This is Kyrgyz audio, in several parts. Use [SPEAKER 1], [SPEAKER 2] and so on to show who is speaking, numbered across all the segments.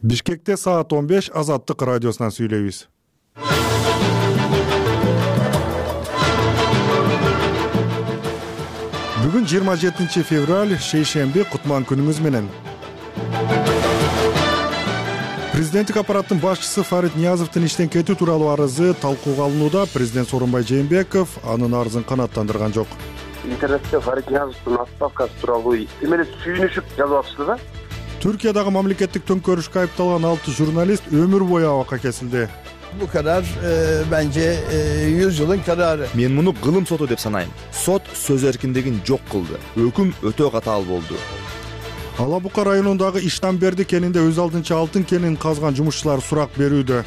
[SPEAKER 1] Бишкекте саат 15 Азаттык радиосунан сүйлөйбүз. Бүгүн 27 февраль, шейшемби, кутман күнүңүз менен. Президенттик аппараттын башчысы Фарид Ниязовдун иштен кетүү тууралуу арызы талкууга алынууда. Президент Сооронбай Жээнбеков анын арызын канааттандырган жок.
[SPEAKER 2] Интернетте Фарид Ниязовдун отставкасы тууралуу эмеле сүйүнүшүп жазып атышты да.
[SPEAKER 1] Türkiye'dagi мамлекеттик төңкөрүшкө айыпталган 6 журналист өмүр бою абакка kesildi.
[SPEAKER 3] Bu karar bence 100 yılın kararı.
[SPEAKER 4] Мен муну кылым соту деп санайм. Сот сөз эркиндигин жок кылды. Өкүм өтө катаал болду.
[SPEAKER 1] Ала Бука районундагы Иштанберди кенинде өз алдынча алтын кенин казган жумушчулар сурак берүүдө.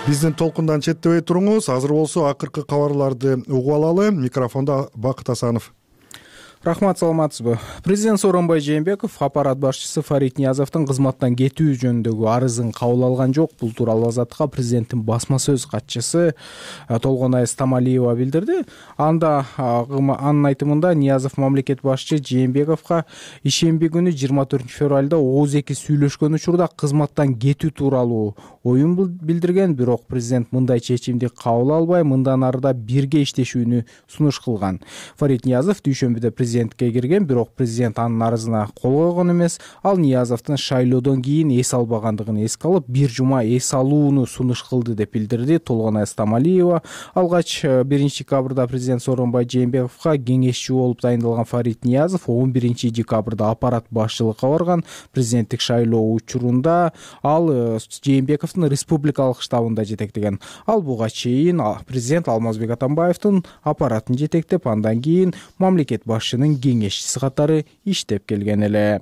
[SPEAKER 1] Биздин толкундан четтебей туруңуз. Азыр болсо акыркы кабарларды угуп алалы. Микрофонда Бакыт Асанов.
[SPEAKER 5] Рахмат, саламатсызбы? Президент Сооронбай Жээнбеков аппарат башчысы Фарид Ниязовдун кызматтан кетүү жөнүндөгү арызын кабыл алган жок. Бул тууралуу Азаттыкка президенттин басма сөз катчысы Толгонай Стамалиева билдирди. Анын айтымында Ниязов мамлекет башчы Жээнбековго ишемби күнү 24 февралда ооз-эки сүйлөшкөн учурда кызматтан кетүү тууралуу оюн билдирген. Бирок президент мындай чечимди кабыл албай, мындан арыда бирге иштешүүнү сунуш кылган. Фарид Ниязов дүйшөмбүдө президентке кирген, бирок президент анын арызына кол койгон эмес. Ал Ниязовдун шайлоодон кийин эс албагандыгын эске алып, бир жума эс алууну сунуш кылды деп билдирди Толгонай Стамалиева. Алгач 1 декабрда президент Сооронбай Жээнбековго кеңешчи болуп дайындалган Фарид Ниязов 11 декабрда аппарат башчылыкка барган. Президенттик шайлоо учурунда ал Жээнбековдун республикалык штабында жетектеген. Ал буга чейин президент Алмазбек Атамбаевдин аппаратын жетектеп, андан кийин мамлекет башчынын кеңешчиси катары иштеп келген эле.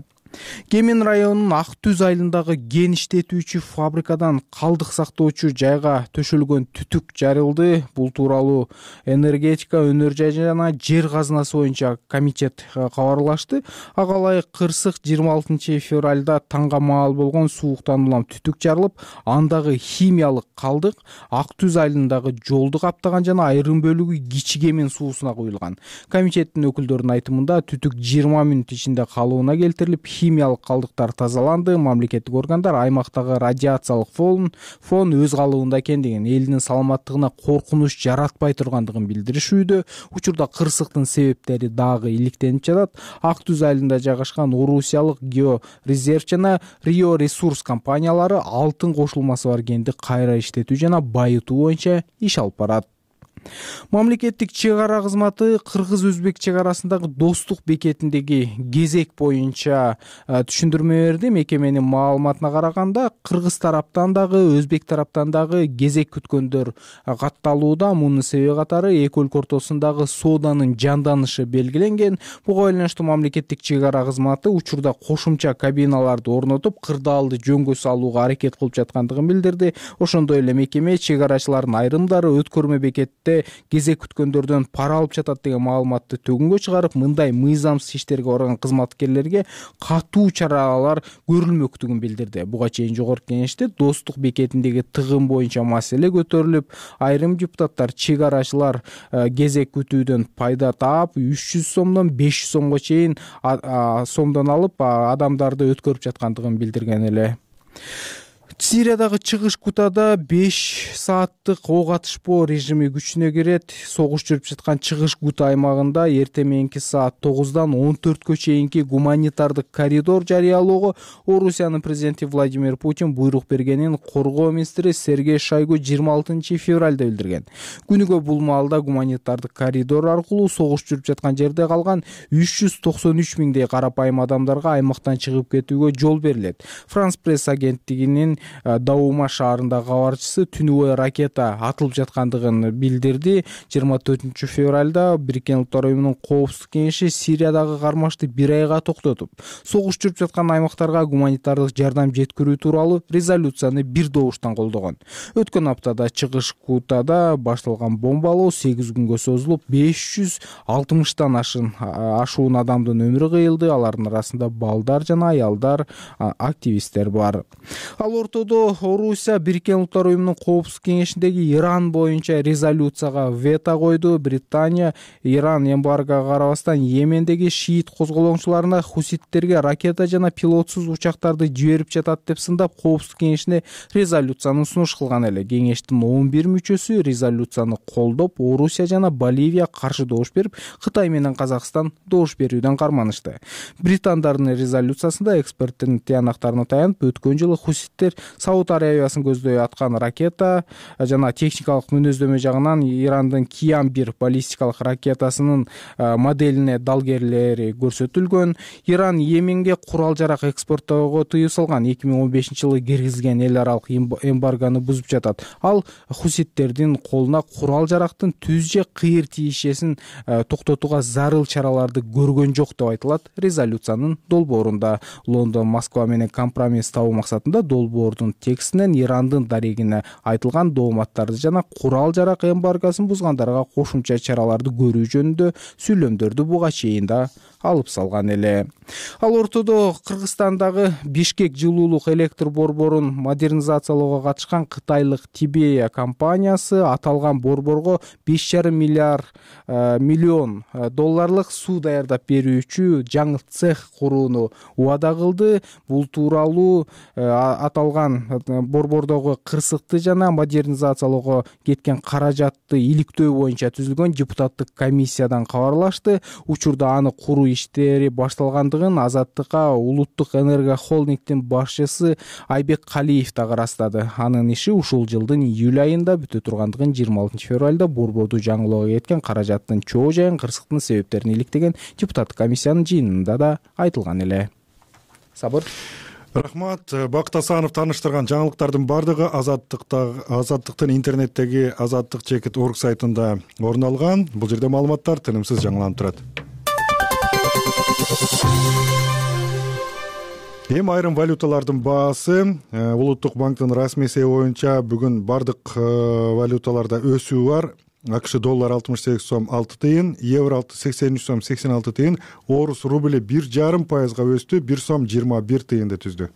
[SPEAKER 5] Кемин районунун Ак Түз айылындагы кен иштетүүчү фабрикадан калдык сактоочу жайга төшөлгөн түтүк жарылды. Бул тууралуу энергетика, өнөр жай жана жер казынасы боюнча комитет кабарлашты. Ага ылайык кырсык 26 февралда таңга маал болгон сууктан улам түтүк жарылып, андагы химиялык калдык Ак Түз айылындагы жолду каптаган жана айрым бөлүгү Кичи Кемин суусуна куюлган. Комитеттин өкүлдөрүнүн айтымында түтүк 20 мүнөт ичинде калыбына келтирилип, химиялык калдыктар тазаланды. Мамлекеттик органдар аймактагы радиациялык фон өз калыбында экендигин, элдин саламаттыгына коркунуч жаратпай тургандыгын билдиришүүдө. Учурда кырсыктын себептери дагы иликтенип жатат. Ак Түз айылында жайгашкан Орусиялык Георезерв жана Рио Ресурс компаниялары алтын кошулмасы бар кенди кайра иштетүү жана байытуу боюнча иш алып барат. Мамлекеттик чек ара кызматы кыргыз-өзбек чек арасындагы достук бекетиндеги кезек боюнча түшүндүрмө берди. Мекеменин маалыматына караганда, кыргыз тараптан дагы, өзбек тараптан дагы кезек күткөндөр катталууда. Мунун себеби катары эки өлкө ортосундагы сооданын жанданышы белгиленген. Буга байланыштуу мамлекеттик чек ара кызматы учурда кошумча кабиналарды орнотуп, кырдаалды жөнгө салууга аракет кылып жаткандыгын билдирди. Ошондой эле мекеме чек арачылардын айрымдары өткөрмө бекетте кезек күткөндөрдөн пара алып жатат деген маалыматты төгүнгө чыгарып, мындай мыйзамсыз иштерге барган кызматкерлерге катуу чаралар көрүлмөктүгүн билдирди. Буга чейин жогорку кеңеште достук бекетиндеги тыгын боюнча маселе көтөрүлүп, айрым депутаттар чек арачылар кезек күтүүдөн пайда таап, 300 сомдон 500 сомго чейин сомдон алып, адамдарды өткөрүп жаткандыгын билдирген эле. Сириядагы чыгыш Гутада 5 сааттык ок атышпоо режими күчүнө кирет. Согуш жүрүп жаткан чыгыш Гута аймагында эртең мененки саат 9-дан 14-кө чейинки гуманитардык коридор жарыялоого Орусиянын президенти Владимир Путин буйрук бергенин коргоо министри Сергей Шойгу 26 февралда билдирген. Күнүгө бул маалда гуманитардык коридор аркылуу согуш жүрүп жаткан жерде калган 393 миңдей карапайым адамдарга аймактан чыгып кетүүгө жол берилет. Франс пресс агенттигинин Даума шаарындагы кабарчысы түнү бою ракета атылып жаткандыгын билдирди. 24 февралда Бириккен Улуттар Уюмунун Коопсуздук кеңеши Сириядагы кармашты 1 айга токтотуп, согуш жүрүп жаткан аймактарга гуманитардык жардам жеткирүү тууралуу резолюцияны бир добуштан колдогон. Өткөн аптада чыгыш Гутада башталган бомбалоо 8 күнгө созулуп, 560 ашуун адамдын өмүрү кыйылды. Алардын арасында балдар жана аялдар, активисттер бар. Ал ортодо Орусия Бириккен Улуттар уюмунун Коопсуздук кеңешиндеги Иран боюнча резолюцияга вето койду. Британия Иран эмбаргага карабастан Йемендеги шиит козголоңчуларына хуситтерге ракета жана пилотсуз учактарды жиберип жатат деп сындап, Коопсуздук кеңешине резолюциянын сунуш кылган эле. Кеңештин 11 мүчөсү резолюцияны колдоп, Орусия жана Боливия каршы добуш берип, Кытай менен Казакстан добуш берүүдөн карманышты. Британдардын резолюциясында эксперттин тыянактарына таянып, өткөн жылы хуситтер Сауд Арабиясын көздөй аткан ракета жана техникалык мүнөздөмө жагынан Ирандын Киям-1 баллистикалык ракетасынын моделине далгерлери көрсөтүлгөн. Иран Йеменге курал-жарак экспорттоого тыюу салган. 2015-жылы киргизген эл аралык эмбарганы бузуп жатат. Ал хуситтердин колуна курал-жарактын түз же кыйыр тиешесин токтотууга зарыл чараларды көргөн жок деп айтылат резолюциянын долбоорунда. Лондон Москва менен компромисс табуу максатында долбоордун текстинен Ирандын дарегине айтылган дооматтарды жана курал-жарак эмбаргосын бузгандарга кошумча чараларды көрүү жөнүндө сүйлөмдөрдү буга чейин да алып салган эле. Ал ортодо Кыргызстандагы Бишкек жылуулук электр борборун модернизациялоого катышкан кытайлык Тибея компаниясы аталган борборго 5,5 миллион долларлык суу даярдап берүүчү жаңы цех курууну убада кылды. Бул тууралуу аталган борбордогу кырсыкты жана модернизациялоого кеткен каражатты иликтөө боюнча түзүлгөн депутаттык комиссиядан кабарлашты. Учурда аны куруу иштери башталгандыгын Азаттыкка Улуттук энергия холдингдин башчысы Айбек Калиев дагы ырастады. Анын иши ушул жылдын июль айында бүтө тургандыгын 26 февралда борборду жаңылоого кеткен каражаттын чоо жайын, кырсыктын себептерин иликтеген депутаттык комиссиянын жыйынында да айтылган эле. Сабыр.
[SPEAKER 1] Рахмат. Бакыт Асанов тааныштырган жаңылыктардын бардыгы Азаттыктын интернеттеги azattik.org сайтында орун алган. Бул жерде маалыматтар тынымсыз жаңыланып турат. Эми айрым валюталардын баасы Улуттук банктын расмий эсеби боюнча бүгүн бардык валюталарда өсүү бар. АКШ доллар 68 сом 6 тыйын, евро 83 сом 86 тыйын, орус рубли 1,5% өстү, 1 сом 21 тыйынды түздү.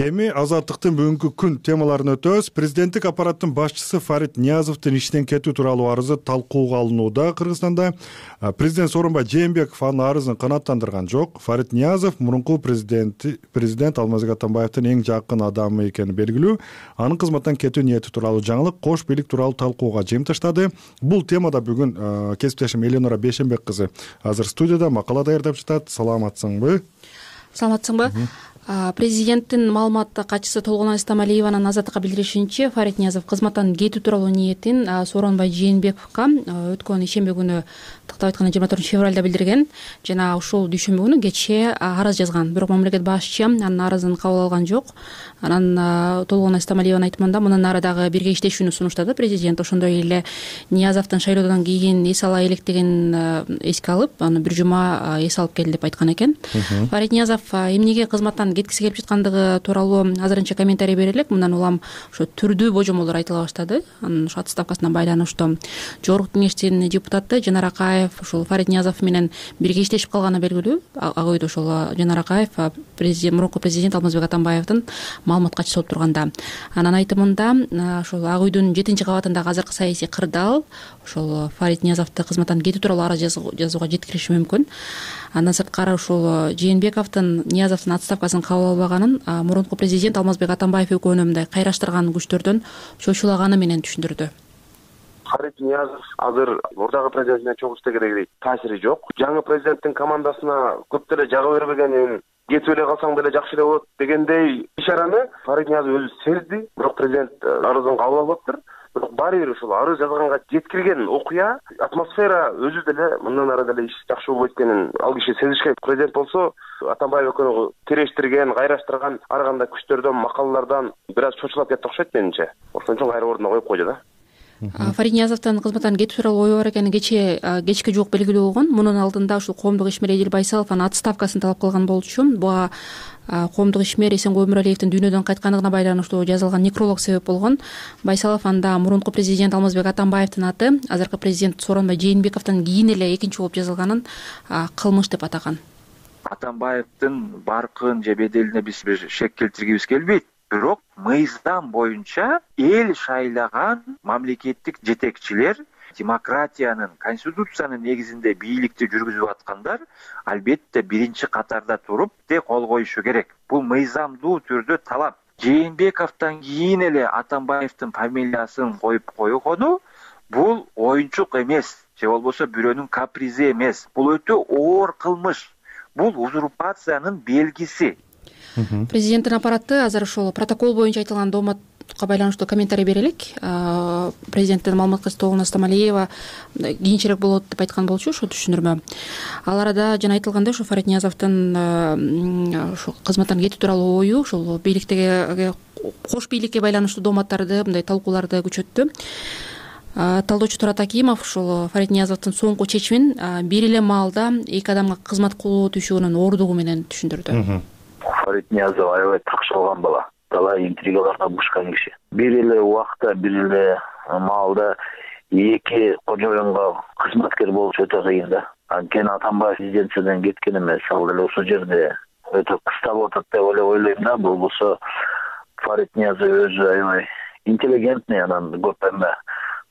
[SPEAKER 1] Эми Азаттыктын бүгүнкү күн темаларын өтөбүз. Президенттик аппараттын башчысы Фарид Ниязовдун иштен кетүү тууралуу арызы талкууга алынууда Кыргызстанда. Президент Сооронбай Жээнбеков анын арызын канааттандырган жок. Фарид Ниязов мурунку президент Алмазбек Атамбаевдин эң жакын адамы экени белгилүү. Анын кызматтан кетүү ниети тууралуу жаңылык кош бийлик тууралуу талкууга жем таштады. Бул темада бүгүн кесиптешим Эленора Бейшенбек кызы азыр студияда макала даярдап жатат. Саламатсыңбы?
[SPEAKER 6] Саламатсыңбы? Президенттин маалыматтык катчысы Толгонай Стамалиеванын Азаттыкка билдиришинче, Фарид Ниязов кызматтан кетүү тууралуу ниетин Сооронбай Жээнбековго өткөн ишемби күнү, тактап айтканда 24 февралда билдирген жана ушул дүйшөмбү күнү кечээ арыз жазган. Бирок мамлекет башчы анын арызын кабыл алган жок. Анан Толгонай Стамалиеванын айтымында мындан ары дагы бирге иштешүүнү сунуштады президент. Ошондой эле Ниязовдун шайлоодон кийин эс ала электигин эске алып, аны бир жума эс алып келди деп айткан экен. Фарид Ниязов эмнеге кызматтан кеткиси келип жаткандыгы тууралуу азырынча комментарий бере элек. Мындан улам ошо түрдүү божомолдор айтыла баштады. Анын ошо отставкасына байланыштуу жогорку кеңештин депутаты Жанар Акаев ушул Фарид Ниязов менен бирге иштешип калганы белгилүү. Ак үйдө ошол Жанар Акаев мурунку президент Алмазбек Атамбаевдин маалымат катчысы болуп турганда. Анын айтымында ошол Ак үйдүн 7-кабатындагы азыркы саясий кырдаал ошол Фарид Ниязовду кызматтан кетүү тууралуу арыз жазууга жеткириши мүмкүн. Андан сырткары ушул Жээнбековдун Ниязовдун отставкасын кабыл албаганын мурунку президент Алмазбек Атамбаев экөөнү мындай кайраштырган күчтөрдөн чочулаганы менен түшүндүрдү.
[SPEAKER 2] Фарид Ниязов азыр мурдагы президент менен чогуу иштегендей таасири жок. Жаңы президенттин командасына көп деле жагы бербегенин, кетип эле калсаң деле жакшы эле болот дегендей ишараны Фарид Ниязов өзү сезди. Бирок президент арызын кабыл албаптыр. Бирок баары бир ушул арыз жазганга жеткирген окуя, атмосфера өзү деле мындан ары деле иш жакшы болбойт экенин ал киши сезишкен. Президент болсо Атамбаев экөөнү тирештирген, кайраштырган ар кандай күчтөрдөн, макалалардан бир аз чочулап кетти окшойт менимче. Ошон үчүн кайра ордуна коюп койду да.
[SPEAKER 6] Фарит Ниязовдун кызматтан кетүү тууралуу ою бар экени кечке жуук белгилүү болгон. Мунун алдында ушул коомдук ишмер Эдил Байсалов анын отставкасын талап кылган болчу. Буга коомдук ишмер Эсенгул Өмүралиевдин дүйнөдөн кайткандыгына байланыштуу жазылган некролог себеп болгон. Байсалов анда мурунку президент Алмазбек Атамбаевдин аты азыркы президент Сооронбай Жээнбековдон кийин эле экинчи болуп жазылганын кылмыш деп атаган.
[SPEAKER 7] Атамбаевдин баркын же беделине биз бир шек келтиргибиз келбейт. Бирок мыйзам боюнча эл шайлаган мамлекеттик жетекчилер демократиянын, конституциянын негизинде бийликти жүргүзүп аткандар албетте биринчи катарда туруп кол коюшу керек. Бул мыйзамдуу түрдө талап. Жээнбековдон кийин эле Атамбаевдин фамилиясын коюп койгону бул оюнчук эмес, же болбосо бирөөнүн капризи эмес. Бул өтө оор кылмыш. Бул узурпациянын белгиси.
[SPEAKER 6] Президенттин аппараты азыр ошол протокол боюнча айтылган дооматка байланыштуу комментарий бере элек. Президенттин маалымат кызмети Толгон Астамалиева кийинчерээк болот деп айткан болчу, ошо түшүндүрмө. Ал арада жана айтылгандай ошо Фарит Ниязовдун ошо кызматтан кетүү тууралуу ою ошол бийликтеги кош бийликке байланыштуу дооматтарды, мындай талкууларды күчөттү. Талдоочу Турат Акимов ушул Фарит Ниязовдун соңку чечимин бир эле маалда эки адамга кызмат кылуу түйшүгүнүн оордугу менен түшүндүрдү.
[SPEAKER 8] Фарит Ниязов аябай такшалган бала, талай интригаларга бушкан киши. Бир эле убакта, бир эле маалда эки кожоюнга кызматкер болуш өтө кыйын да. Анткени Атамбаев президенттиктен кеткен эмес, ал деле ушул жерде өтө кыста болуп атат деп ойлойм да. Болбосо Фарит Ниязов өзү аябай интеллигентный, анан көп эме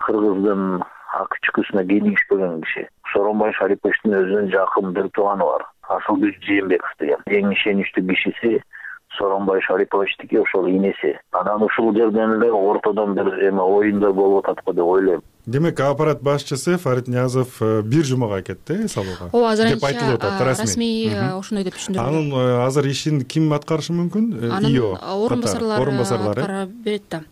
[SPEAKER 8] кыргыздын ак чүкүсүнө кийинишпеген киши. Сооронбай Шариповичтин өзүнүн жакын бир тууганы бар, Асылбек Жээнбеков деген. Эң ишеничтүү кишиси Сооронбай Шариповичтики, ошол инеси. Анан ушул жерден эле ортодон бир эме оюндар болуп атат го деп ойлойм.
[SPEAKER 1] Демек, аппарат башчысы Фарит Ниязов бир жумага кетти салууга.
[SPEAKER 6] Ооба, азыр
[SPEAKER 1] деп айтылып атат,
[SPEAKER 6] расмий ошондой деп түшүндүрдү.
[SPEAKER 1] Анын азыр ишин ким аткарышы мүмкүн?
[SPEAKER 6] Анын орун басарлары аткара берет да.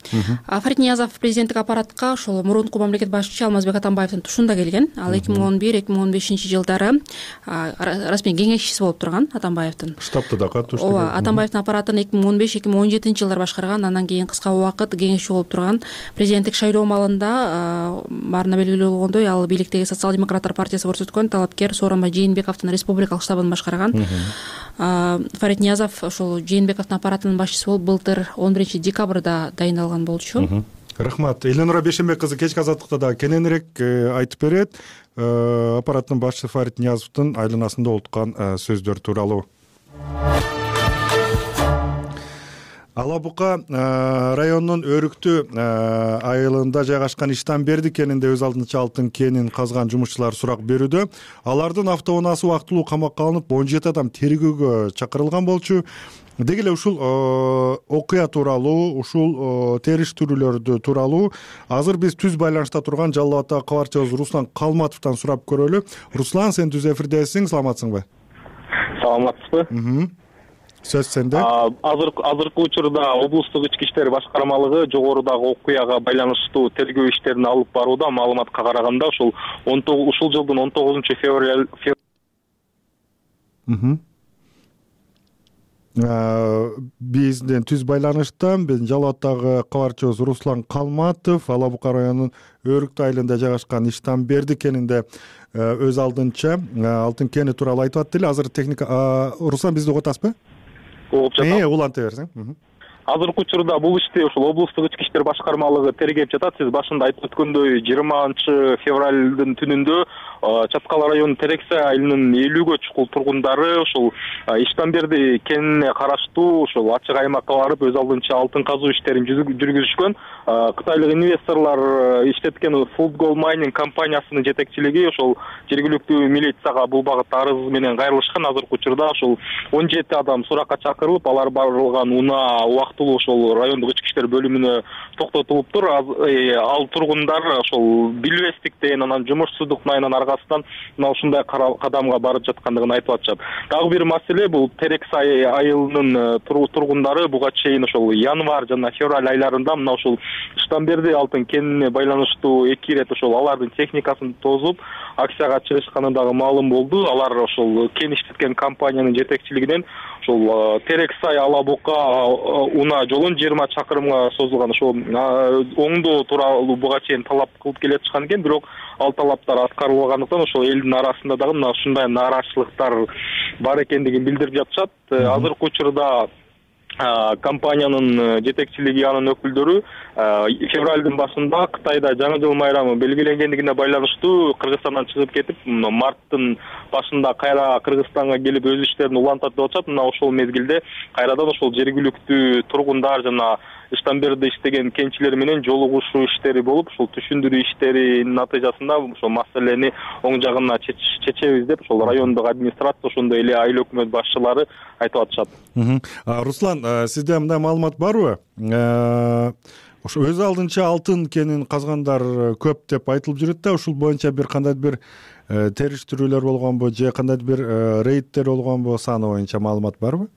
[SPEAKER 6] Фарит Ниязов президенттик аппаратка ошол мурунку мамлекет башчысы Алмазбек Атамбаевдин тушунда келген. Ал 2011-2015 жылдары расмий кеңешчиси болуп турган Атамбаевдин.
[SPEAKER 1] Штабта да катышты.
[SPEAKER 6] Ооба, Атамбаевдин аппаратын 2015-2017 жылдары башкарган, андан кийин кыска убакыт кеңешчи болуп турган. Президенттик шайлоо маалында баарына белгилүү болгондой, ал бийликтеги Социал-демократтар партиясы көрсөткөн талапкер Сооронбай Жээнбековдун республикалык штабын башкарган. Фарит Ниязов ошол Жээнбековдун аппаратынын башчысы болуп былтыр 11 декабрда дайындалган болчу.
[SPEAKER 1] Рахмат. Элнура Бейшенбек кызы кечки азаттыкта да кененирээк айтып берет. Аппараттын башчысы Фарит Ниязовдун айланасында олуткан сөздөр тууралуу. Ала Бука районунун Өрүктү айылында жайгашкан Иштанберди кенинде өз алдынча алтын кенин казган жумушчулар сурак берүүдө. Алардын автоунаасы убактылуу камакка алынып, 17 адам тергөөгө чакырылган болчу. Деги эле ушул окуя тууралуу, ушул териштирүүлөрдү тууралуу азыр биз түз байланышта турган Жалал Абадтагы кабарчыбыз Руслан Калматовдон сурап көрөлү. Руслан, сен түз эфирдесиң, саламатсыңбы?
[SPEAKER 9] Саламатсызбы?
[SPEAKER 1] Сөз сенде.
[SPEAKER 9] Азыркы учурда облустук ички иштер башкармалыгы жогорудагы окуяга байланыштуу тергөө иштерин алып барууда. Маалыматка караганда ушул жылдын 19
[SPEAKER 1] бизден түз байланышта биздин Жалал Абадтагы кабарчыбыз Руслан Калматов Ала Бука районунун Өрүктү айылында жайгашкан Иштанберди кенинде өз алдынча алтын кени тууралуу айтып атты эле. Азыр техника Руслан бизди угуп атасызбы?
[SPEAKER 9] Угуп жатам.
[SPEAKER 1] Уланта берсең.
[SPEAKER 9] Азыркы учурда бул ишти ушул облустук ички иштер башкармалыгы тергеп жатат. Сиз башында айтып өткөндөй 20 февралдын түнүндө Чаткал районунун Терексе айылынын 50гө чукул тургундары ушул Иштанберди кенине караштуу ушул ачык аймакка барып өз алдынча алтын казуу иштерин жүргүзүшкөн. Кытайлык инвесторлор иштеткен Food Gold Mining компаниясынын жетекчилиги ошол жергиликтүү милицияга бул багытта арыз менен кайрылышкан. Азыркы учурда ушул 17 адам суракка чакырылып, алар барылган унаа убактылуу ошол райондук ички иштер бөлүмүнө токтотулуптур. Ал тургундар ошол билбестик деген анан жумушсуздуктун аркасынан мына ушундай кадамга барып жаткандыгын айтып атышат. Дагы бир маселе бул Терексе айылынын тургундары буга чейин ошол январь жана февраль айларында мына ушул Иштанберди алтын кенине байланыштуу 2 ирет ошол алардын техникасын тозуп акцияга чыгышканы дагы маалым болду. Алар ошол кен иштеткен компаниянын жетекчилигинен ушул Терек Сай Ала Бука унаа жолун 20 чакырымга созулган ошол оңдоо тууралуу буга чейин талап кылып келе жатышкан экен, бирок ал талаптар аткарылбагандыктан ошол элдин арасында дагы мына ушундай нааразычылыктар бар экендигин билдирип жатышат. Азыркы учурда компаниянын жетекчилиги, анын өкүлдөрү февралдын башында Кытайда жаңы жыл майрамы белгиленгендигине байланыштуу Кыргызстандан чыгып кетип, марттын башында кайра Кыргызстанга келип өз иштерин улантат деп атышат. Мына ошол мезгилде кайрадан ошол жергиликтүү тургундар жана ыштан берде иштеген кенчилер менен жолугушуу иштери болуп, ушул түшүндүрүү иштеринин натыйжасында ошол маселени оң жагына чечебиз деп ошол райондук администрация, ошондой эле айыл өкмөт башчылары айтып атышат.
[SPEAKER 1] Руслан, сизде мындай маалымат барбы? Ошо өз алдынча алтын кенин казгандар көп деп айтылып жүрөт да, ушул боюнча бир кандайдыр бир териштирүүлөр болгонбу же кандайдыр бир рейдтер болгонбу, саны боюнча маалымат барбы?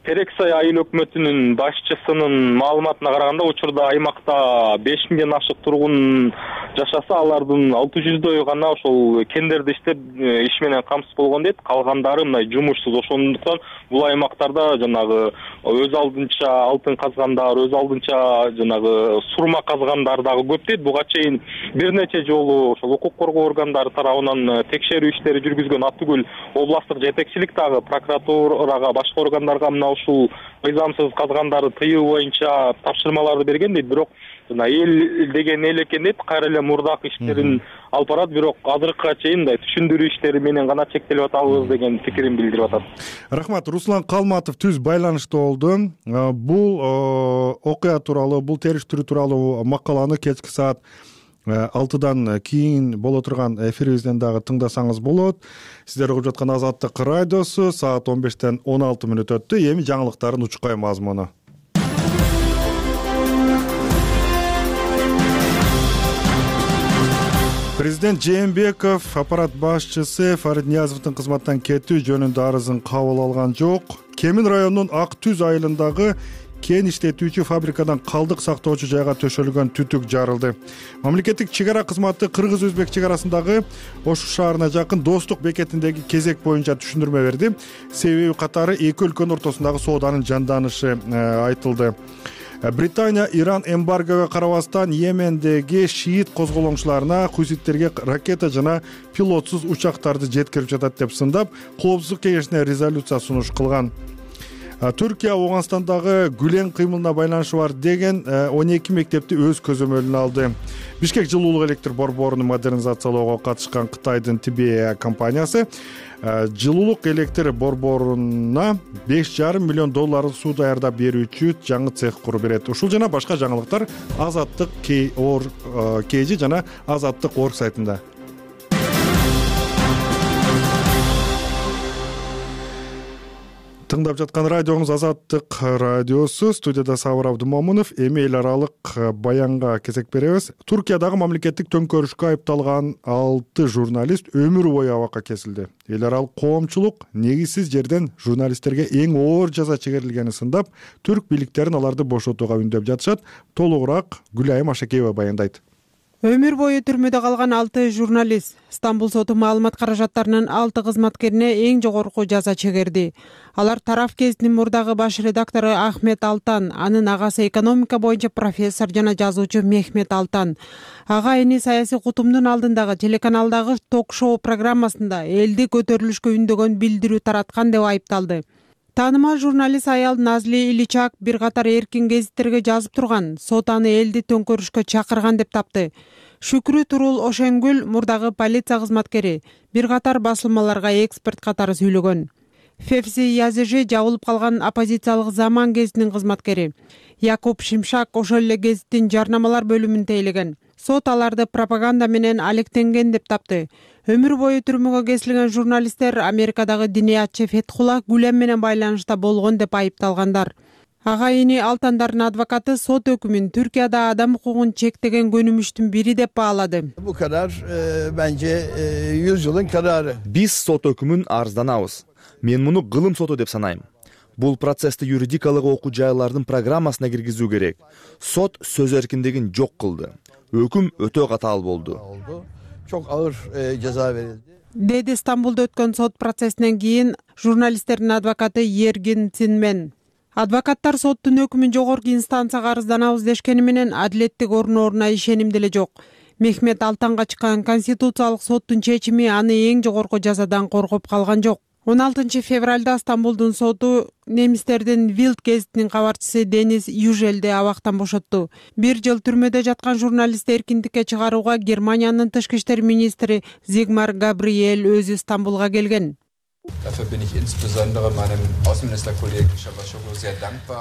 [SPEAKER 9] Терек Сай айыл өкмөтүнүн башчысынын маалыматына караганда, учурда аймакта 5000ден ашык тургун жашаса, алардын 600дөйү гана ошол кендерди иштеп иш менен камсыз болгон дейт. Калгандары мындай жумушсуз. Ошондуктан бул аймактарда жанагы өз алдынча алтын казгандар, өз алдынча жанагы сурма казгандар дагы көп дейт. Буга чейин бир нече жолу ошол укук коргоо органдары тарабынан текшерүү иштери жүргүзгөн Аттүгүл областык жетекчилик дагы прокуратурага, башка органдарга мына ушул мыйзамсыз казгандарды тыюу боюнча тапшырмаларды берген дейт. Бирок жана эл деген эл экен дейт, кайра эле мурдак иштерин алып барат, бирок азыркыга чейин мындай түшүндүрүү иштери менен гана чектелип атабыз деген пикирин билдирип атат.
[SPEAKER 1] Рахмат. Руслан Калматов түз байланышта болду. Бул окуя тууралуу, бул териштирүү тууралуу макаланы кечки саат 6-дан кийин боло турган эфирибизден дагы тыңдасаңыз болот. Сиздер угуп жаткан Азаттык радиосу, саат 15-тен 16 мүнөт өттү. Эми жаңылыктардын учкай мазмуну. Президент Жээнбеков аппарат башчысы Фарит Ниязовдун кызматтан кетүү жөнүндө арызын кабыл алган жок. Кемин районунун Ак Түз айылындагы кен иштетүүчү фабрикадан калдык сактоочу жайга төшөлгөн түтүк жарылды. Мамлекеттик чек ара кызматы кыргыз-өзбек чек арасындагы Ош шаарына жакын Достук бекетиндеги кезек боюнча түшүндүрмө берди. Себеби катары эки өлкөнүн ортосундагы сооданын жанданышы айтылды. Британия Иран эмбаргого карабастан Йемендеги шиит козголоңчуларына хуситтерге ракета жана пилотсуз учактарды жеткирип жатат деп сындап, Коопсуздук кеңешине резолюция сунуш кылган. Түркия Оңгонстандагы Гүлен кыймылына байланышы бар деген 12 мектепти өз көзөмөлүнө алды. Бишкек жылуулук электр борборун модернизациялоого катышкан Кытайдын Тибея компаниясы жылуулук электр борборуна $5,5 миллион суу даярдап берүүчү жаңы цех куруп берет. Ушул жана башка жаңылыктар Азаттык KG жана Азаттык орг сайтында. Тыңдап жаткан радиоңуз Азаттык радиосу. Студияда Сабыр Абдымомунов. Эми эл аралык баянга кезек беребиз. Туркиядагы мамлекеттик төңкөрүшкө айыпталган 6 журналист өмүр бою абакка кесилди. Эл аралык коомчулук негизсиз жерден журналисттерге эң оор жаза чегерилгенин сындап, түрк бийликтерин аларды бошотууга үндөп жатышат. Толугураак Гүлайым Ашакеева баяндайт.
[SPEAKER 10] Өмүр бою түрмөдө калган 6 журналист Стамбул соту маалымат каражаттарынын 6 кызматкерине эң жогорку жаза чегерди. Алар Тараф гезитинин мурдагы баш редактору Ахмет Алтан, анын агасы экономика боюнча профессор жана жазуучу Мехмет Алтан. Ага эни саясий кутумдун алдындагы телеканалдагы ток-шоу программасында элди көтөрүлүшкө үндөгөн билдирүү тараткан деп айыпталды. Таанымал журналист аял Назли Иличак бир катар эркин гезиттерге жазып турган, сот аны элди төңкөрүшкө чакырган деп тапты. Шүкрү Турул Ошенгүл мурдагы полиция кызматкери, бир катар басылмаларга эксперт катары сүйлөгөн. Февзи Язежи жабылып калган оппозициялык Заман гезитинин кызматкери. Якуб Шимшак ошол эле гезиттин жарнамалар бөлүмүн тейлеген. Сот аларды пропаганда менен алектенген деп тапты. Өмүр бою түрмөгө кесилген журналисттер Америкадагы диниятчы Фетхулла Гүлен менен байланышта болгон деп айыпталгандар. Ага эни Алтандардын адвокаты сот өкүмүн Түркияда адам укугун чектеген көнүмүштүн бири деп баалады.
[SPEAKER 3] Bu karar bence 100 yılın kararı.
[SPEAKER 4] Биз сот өкүмүн арызданабыз. Мен муну кылым соту деп санайм. Бул процессти юридикалык окуу жайлардын программасына киргизүү керек. Сот сөз эркиндигин жок кылды. Өкүм өтө катаал болду.
[SPEAKER 3] Çok ağır ceza verildi.
[SPEAKER 10] деди Стамбулда өткөн сот процессинен кийин журналисттердин адвокаты Эргин Цинмен. Адвокаттар соттун өкүмүн жогорку инстанцияга арызданабыз дешкени менен адилеттик орнооруна ишеним деле жок. Мехмет Алтанга чыккан Конституциялык соттун чечими аны эң жогорку жазадан коргоп калган жок. 16 февралда Стамбулдун соту немистердин Вилд гезитинин кабарчысы Денис Южелди абактан бошотту. 1 жыл түрмөдө жаткан журналистти эркиндикке чыгарууга Германиянын тышкы иштер министри Зигмар Габриэль өзү Стамбулга келген.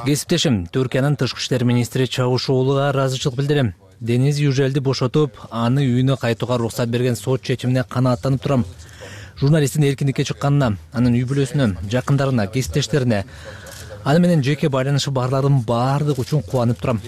[SPEAKER 11] Кесиптешим Түркиянын тышкы иштер министри Чавушоğlu'га ыраазычылык билдирем. Денис Южелди бошотуп, аны үйүнө кайтууга уруксат берген сот чечимине канааттанып турам. Журналисттин эркиндикке чыкканына, анын үй бүлөсүнө, жакындарына, кесиптештерине, аны менен жеке байланышы барлардын баардыгы үчүн кубанып турам.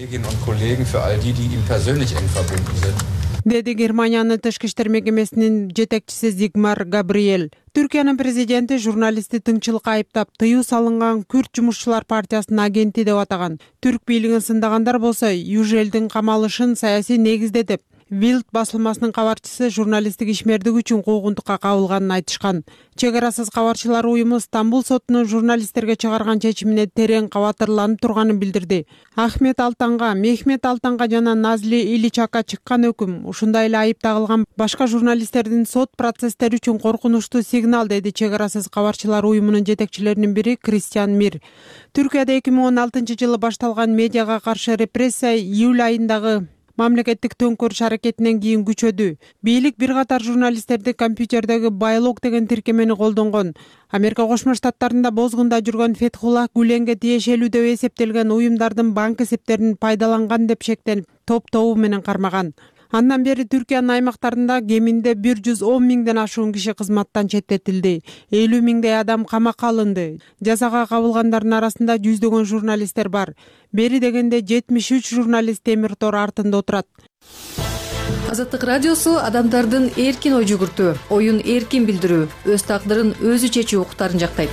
[SPEAKER 10] Деди Германиянын тышкы иштер мекемесинин жетекчиси Зигмар Габриэль. Түркиянын президенти журналистти тыңчылыкка айыптап, тыюу салынган Күрд жумушчулар партиясынын агенти деп атаган. Түрк бийлигин сындагандар болсо, Южелдин камалышын саясий негизде деп, Вилд басылмасынын кабарчысы журналисттик ишмердиги үчүн куугунтукка кабылганын айтышкан. Чек арасыз кабарчылар уюму Стамбул сотунун журналисттерге чыгарган чечимине терең кабатырланып турганын билдирди. Мехмет Алтанга жана Назли Иличакка чыккан өкүм ушундай эле айып тагылган башка журналисттердин сот процесстери үчүн коркунучтуу сигнал, деди чек арасыз кабарчылар уюмунун жетекчилеринин бири Кристиан Мир. Түркияда 2016 жылы башталган медиага каршы репрессия июль айындагы мамлекеттик төңкөрүш аракетинен кийин күчөдү. Бийлик бир катар журналисттерди компьютердеги байлог деген тиркемени колдонгон. Америка Кошмо Штаттарында бозгунда жүргөн Фетхуллах Гүленге тиешелүү деп эсептелген уюмдардын банк эсептерин пайдаланган деп шектенип, топ-тобу менен кармаган. Андан бери Түркиянын аймактарында кеминде 110 миңден ашуун киши кызматтан четтетилди. 50 миңдей адам камакка алынды. Жазага кабылгандардын арасында жүздөгөн журналисттер бар. Бери дегенде 73 журналист темир тор артында отурат.
[SPEAKER 12] Азаттык радиосу адамдардын эркин ой жүгүртүү, оюн эркин билдирүү, өз тагдырын өзү чечүү укуктарын жактайт.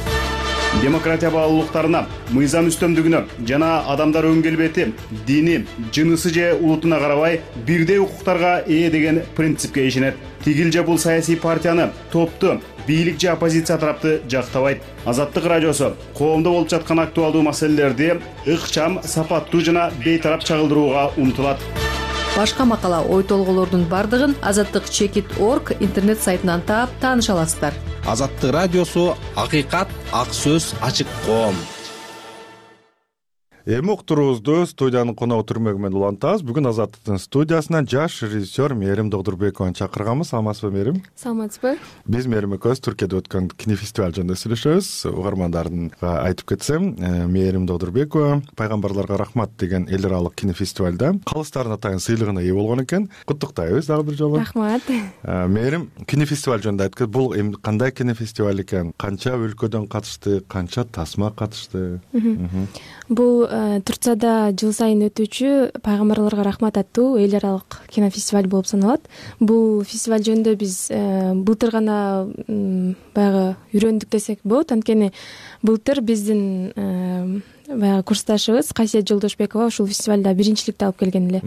[SPEAKER 13] Демократия баалуулуктарына, мыйзам үстөмдүгүнө жана адамдар өн келбети, дини, жынысы же улутуна карабай бирдей укуктарга ээ деген принципке ишенет. Тигил же бул саясий партияны, топту, бийлик же оппозиция тарапты жактабайт. Азаттык радиосу коомдо болуп жаткан актуалдуу маселелерди ыкчам, сапаттуу жана бейтарап чагылдырууга умтулат.
[SPEAKER 12] Башка макала, ой толголордун бардыгын azattik.org интернет сайтынан таап тааныша аласыздар.
[SPEAKER 14] Азаттык радиосу акыйкат, ак сөз, ачык коом.
[SPEAKER 1] Эми уктуруубузду студиянын коногу түрмөгү менен улантабыз. Бүгүн Азаттыктын студиясына жаш режиссер Мээрим Догдурбекованы чакырганбыз. Саламатсызбы, Мээрим?
[SPEAKER 15] Саламатсызбы.
[SPEAKER 1] Биз Мээрим экөөбүз Түркияда өткөн кинофестиваль жөнүндө сүйлөшөбүз. Угармандарга айтып кетсем, Мээрим Догдурбекова Пайгамбарларга рахмат деген эл аралык кинофестивалда калыстардын атайын сыйлыгына ээ болгон экен. Куттуктайбыз дагы бир жолу.
[SPEAKER 15] Рахмат.
[SPEAKER 1] Мээрим кинофестиваль жөнүндө айтып кет. Бул эми кандай кинофестиваль экен? Канча өлкөдөн катышты? Канча тасма катышты?
[SPEAKER 15] Бул Турцияда жыл сайын өтүүчү Пайгамбарларга рахмат аттуу эл аралык кинофестиваль болуп саналат. Бул фестиваль жөнүндө биз былтыр гана баягы үйрөндүк десек болот. Анткени былтыр биздин баягы курсташыбыз Кайсет Жолдошбекова ушул фестивалда биринчиликти алып келген эле.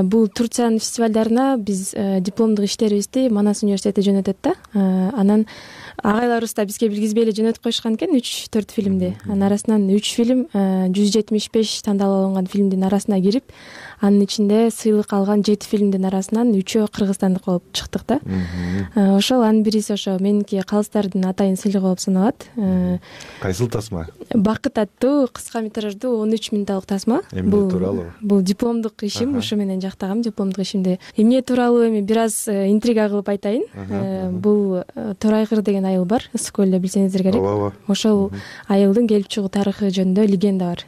[SPEAKER 15] Бул Турциянын фестивалдарына биз дипломдук иштерибизди Манас университети жөнөтөт да. Анан агайларыбыз да бизге билгизбей эле жөнөтүп коюшкан экен 3-4 фильмди. Анын арасынан 3 фильм 175 тандалып алынган фильмдин арасына кирип, анын ичинде сыйлык алган 7 фильмдин арасынан 3-өө кыргызстандык болуп чыктык да. Ошол анын бириси ошо меники калыстардын атайын сыйлыгы болуп саналат.
[SPEAKER 1] Кайсыл тасма?
[SPEAKER 15] Бакыт аттуу кыска метраждуу 13 мүнөттүк тасма. Бул дипломдук ишим, ошо менен жактагам дипломдук ишимди. Эмне тууралуу эми бир аз интрига кылып айтайын. Бул Торайгыр деген айыл бар, ысык көлдө, билсеңиздер керек. Ошол айылдын келип чыгуу тарыхы жөнүндө легенда бар.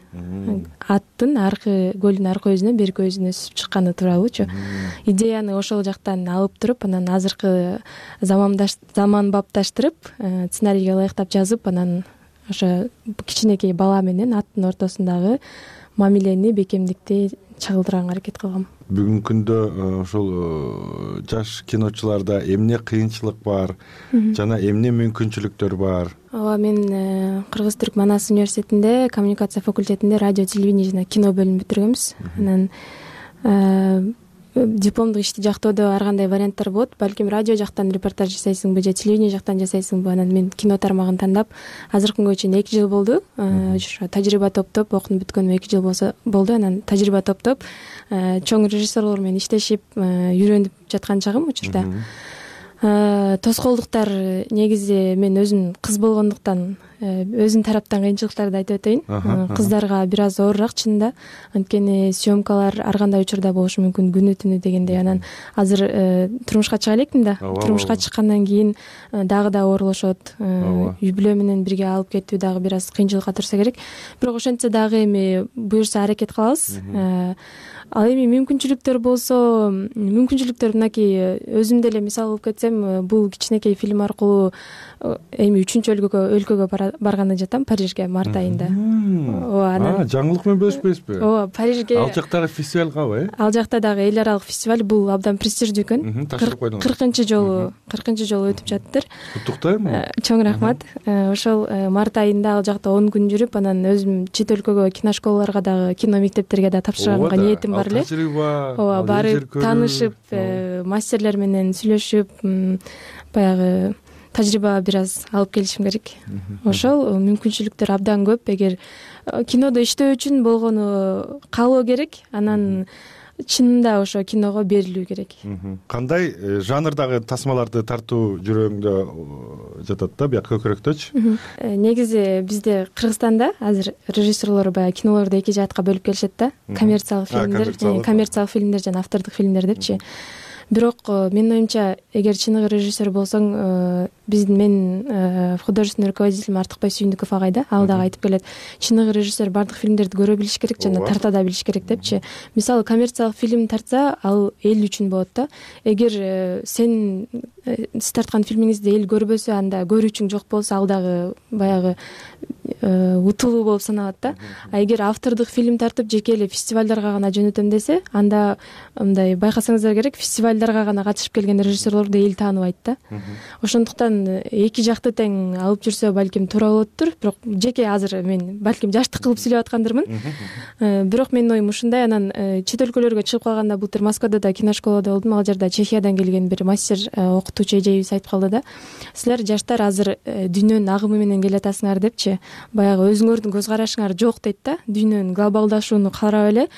[SPEAKER 15] Аттын аркы көлдүн аркы өзүнөн берки өзүнө өсүп чыкканы тууралуучу. Идеяны ошол жактан алып туруп, анан азыркы заманбапташтырып, сценарийге ылайыктап жазып, анан ошо кичинекей бала менен аттын ортосундагы мамилени, бекемдикти чагылдырганга аракет кылгам.
[SPEAKER 1] Бүгүнкү күндө ошол жаш киночуларда эмне кыйынчылык бар жана эмне мүмкүнчүлүктөр бар?
[SPEAKER 15] Ооба, мен Кыргыз-Түрк Манас университетинде коммуникация факультетинде радио, телевидение жана кино бөлүмүн бүтүргөнбүз. Анан дипломдук ишти жактоодо ар кандай варианттар болот. Балким радио жактан репортаж жасайсыңбы же телевидение жактан жасайсыңбы. Анан мен кино тармагын тандап азыркы күнгө чейин 2 жыл болду. Ошо тажрыйба топтоп, окуп бүткөнүмө 2 жыл болду. Анан тажрыйба топтоп, чоң режиссерлор менен иштешип, үйрөнүп жаткан чагым учурда. Тоскоолдуктар негизи мен өзүм кыз болгондуктан өзүм тараптан кыйынчылыктарды айтып өтөйүн. Кыздарга бир аз оорураак чынында. Анткени съемкалар ар кандай учурда болушу мүмкүн, күнү түнү дегендей. Анан азыр турмушка чыга элекмин да. Турмушка чыккандан кийин дагы да оорулошот. Үй бүлө менен бирге алып кетүү дагы бир аз кыйынчылыкка турса керек. Бирок ошентсе дагы эми буюрса аракет кылабыз. Ал эми мүмкүнчүлүктөр болсо, мүмкүнчүлүктөр мынакей өзүм деле мисал кылып кетсем, бул кичинекей фильм аркылуу эми 3-чү өлкөгө барганы жатам, Парижге март айында. Ооба,
[SPEAKER 1] жаңылык менен бөлүшпөйсүзбү?
[SPEAKER 15] Ооба, Парижге.
[SPEAKER 1] Ал жактагы фестиваль кабы?
[SPEAKER 15] Ал жакта дагы эл аралык фестиваль, бул абдан престиждүү экен. 40-чы жолу өтүп жатыптыр.
[SPEAKER 1] Куттуктайм.
[SPEAKER 15] Чоң рахмат. Ошол март айында ал жакта 10 күн жүрүп, анан өзүм чет өлкөгө киношколаларга дагы, кино мектептерге да тапшырганга ниетим бар эле. Ооба, барып таанышып, мастерлер менен сүйлөшүп, баягы тажрыйба бир аз алып келишим керек. Ошол мүмкүнчүлүктөр абдан көп. Эгер кинодо иштөө үчүн болгону каалоо керек, анан чынында ошо киного берилүү керек.
[SPEAKER 1] Кандай жанрдагы тасмаларды тартуу жүрөгүңдө жатат да, бияк көкүрөктөчү?
[SPEAKER 15] Негизи бизде Кыргызстанда азыр режиссерлор баягы кинолорду 2 жаатка бөлүп келишет да. Коммерциялык фильмдер жана автордук фильмдер депчи. Бирок менин оюмча, эгер чыныгы режиссер болсоң, мен художественный руководитель Артыкбай Сүйүндүков агай да, ал дагы айтып келет. Чыныгы режиссер бардык фильмдерди көрө билиш керек жана тарта да билиш керек депчи. Мисалы, коммерциялык фильм тартса, ал эл үчүн болот да. Эгер сиз тарткан фильмиңизди эл көрбөсө, анда көрүүчүң жок болсо, ал дагы баягы утулуу болуп саналат да. А эгер автордук фильм тартып жеке эле фестивалдарга гана жөнөтөм десе, анда мындай байкасаңыздар керек, фестивалдарга гана катышып келген режиссерлорду эл тааныбайт да. Ошондуктан 2 жакты тең алып жүрсө балким туура болоттур. Бирок жеке азыр мен балким жаштык кылып сүйлөп аткандырмын. Бирок менин оюм ушундай. Анан чет өлкөлөргө чыгып калганда, былтыр Москвада да киношколада болдум. Ал жерде Чехиядан келген бир мастер, окутуучу эжебиз айтып калды да. Силер жаштар азыр дүйнөнүн агымы менен келатасыңар депчи. Баягы өзүңөрдүн көз карашыңар жок дейт да. Дүйнөнүн глобалдашууну карап эле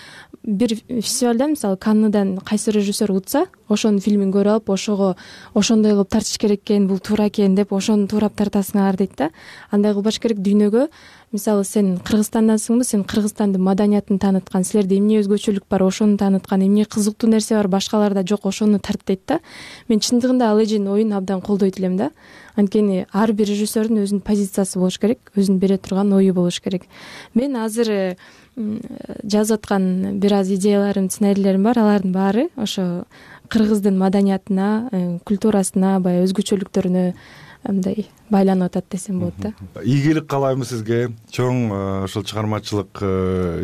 [SPEAKER 15] бир фестивалдан, мисалы Канныдан кайсы режиссер утса, ошонун фильмин көрүп алып, ошондой кылып тартыш керек экен, бул туура экен деп ошону туурап тартасыңар дейт да. Андай кылбаш керек дүйнөгө. Мисалы, сен Кыргызстандансыңбы, сен Кыргызстандын маданиятын тааныткан, силерде эмне өзгөчөлүк бар, ошону тааныткан, эмне кызыктуу нерсе бар, башкаларда жок, ошону тарт дейт да. Мен чындыгында ал эженин оюн абдан колдойт элем да. Анткени ар бир режиссердин өзүнүн позициясы болуш керек, өзүнүн бере турган ою болуш керек. Мен азыр жазып аткан бир аз идеяларым, сценарийлерим бар, алардын баары ошо кыргыздын маданиятына, культурасына, баягы өзгөчөлүктөрүнө мындай байланып атат десем болот да.
[SPEAKER 1] Ийгилик каалайм сизге. Чоң ошол чыгармачылык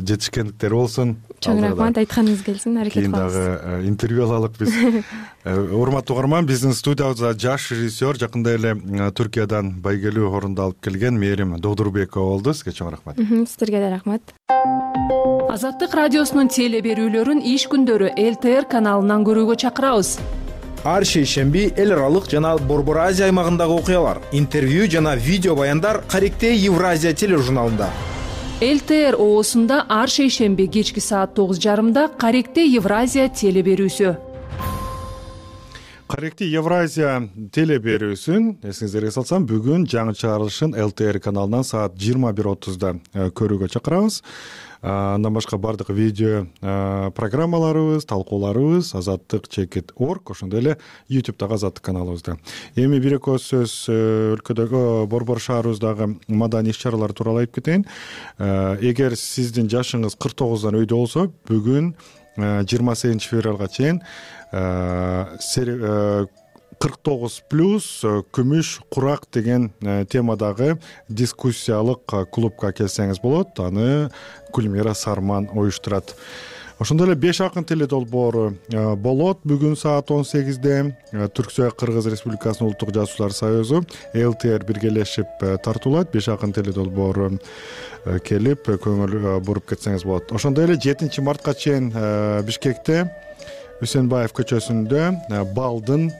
[SPEAKER 1] жетишкендиктер болсун.
[SPEAKER 15] Чоң рахмат, айтканыңыз келсин, аракет кылабыз.
[SPEAKER 1] Кийин дагы интервью алалык биз. Урматтуу угарман, биздин студиябызда жаш режиссер, жакында эле Түркиядан байгелүү орунду алып келген Мээрим Додурбекова болду. Сизге чоң рахмат.
[SPEAKER 15] Сиздерге да рахмат.
[SPEAKER 16] Азаттык радиосунун теле берүүлөрүн иш күндөрү ЛТР каналынан көрүүгө чакырабыз.
[SPEAKER 17] Ар шейшемби эл аралык жана Борбор Азия аймагындагы окуялар, интервью жана видео баяндар Каректей Евразия тележурналында.
[SPEAKER 16] ЛТР оосунда ар шейшемби кечки саат 9:30 Каректей Евразия теле берүүсү.
[SPEAKER 1] Каректей Евразия теле берүүсүн эсиңиздерге салсам, бүгүн жаңы чыгарылышын ЛТР каналынан саат 21:30 көрүүгө чакырабыз. Андан башка бардык видео программаларыбыз, талкууларыбыз azattik.org, ошондой эле YouTube'дагы Азаттык каналыбызда. Эми бир эки сөз өлкөдөгү Борбор шаарыбыздагы маданий иш-чаралар тууралуу айтып кетейин. Эгер сиздин жашыңыз 49дан өйдө болсо, бүгүн 28 февралга чейин 49+ күмүш курак деген темадагы дискуссиялык клубка келсеңиз болот. Аны Гүлмира Сарман уюштурат. Ошондой эле 5 акын теле долбоору болот бүгүн саат 18-де. Түрксой Кыргыз Республикасынын Улуттук Жазуучулар союзу ЛТР биргелешип тартуулайт. 5 акын теле долбоору келип көңүл буруп кетсеңиз болот. Ошондой эле 7 мартка чейин Бишкекте Үсенбаев көчөсүндө балдын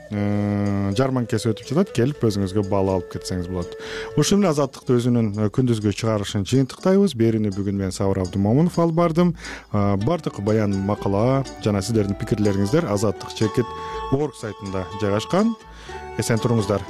[SPEAKER 1] жарманкеси өтүп жатат. Келип өзүңүзгө бал алып кетсеңиз болот. Ушул менен Азаттыкты өзүнүн күндүзгү чыгарылышын жыйынтыктайбыз. Берүүнү бүгүн мен Сабыр Абдымомунов алып бардым. Бардык баян, макала жана сиздердин пикирлериңиздер Азаттык чекит орг сайтында жайгашкан. Эсен туруңуздар.